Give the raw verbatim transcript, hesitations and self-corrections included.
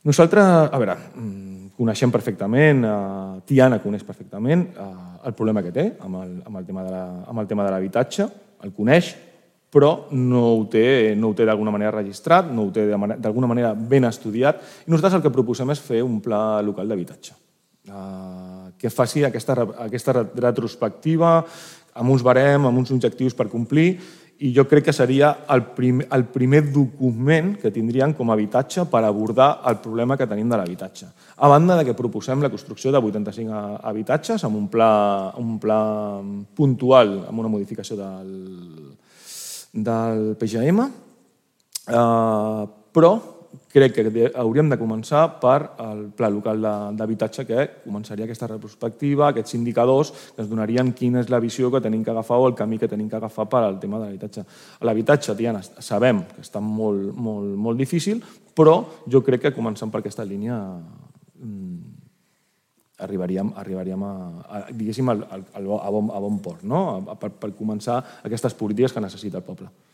Nosaltres, a veure, coneixem perfectament, Tiana coneix perfectament el problema que té amb el, amb el tema de la, amb el tema de l'habitatge, el coneix, però no ho té, no ho té d'alguna manera registrat, no ho té d'alguna manera ben estudiat, i nosaltres el que proposem és fer un pla local d'habitatge que faci aquesta, aquesta retrospectiva amb uns barem, amb uns objectius per complir, i jo crec que seria el primer, el primer document que tindríem com a habitatge per abordar el problema que tenim de l'habitatge. A banda de que proposem la construcció de vuitanta-cinc habitatges amb un pla, un pla puntual, amb una modificació del, del P G M, eh, però crec que hauríem de començar per el pla local d'habitatge, que començaria aquesta retrospectiva, aquests indicadors que ens donarien quina és la visió que tenim que agafar o el camí que tenim que agafar per al tema de l'habitatge. L'habitatge, Tiana, sabem que està molt, molt, molt difícil, però jo crec que començant per aquesta línia arribaríem, arribaríem a, a, diguéssim, a, a, a, bon, a bon port, no? per, per començar aquestes polítiques que necessita el poble.